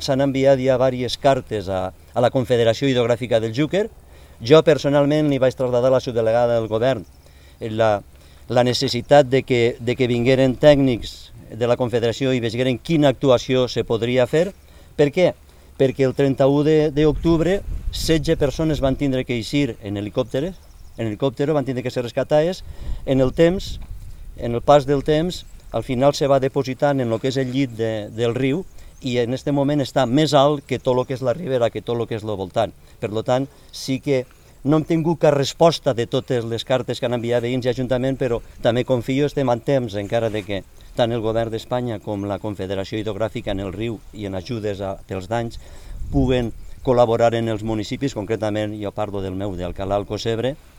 S'han enviat ja diverses cartes a la Confederació Hidrogràfica del Xúquer. Jo personalment li vaig traslladar a la subdelegada del govern la necessitat de que vingueren tècnics de la Confederació i veieren quina actuació se podria fer. Per què? Perquè el 31 d'octubre 16 persones van tindre que eixir en helicòptero, van tindre que ser rescatades. En el pas del temps, al final se va depositant en el que és el llit del riu i en aquest moment està més alt que tot el que és la ribera, que tot el que és el voltant. Per tant, sí que no hem tingut cap resposta de totes les cartes que han enviat veïns i ajuntament, però també confio, estem en temps encara de que tant el govern d'Espanya com la Confederació Hidrogràfica en el riu i en ajudes pels danys puguen col·laborar en els municipis, concretament jo parlo del meu, d'Alcalà Alcocebre,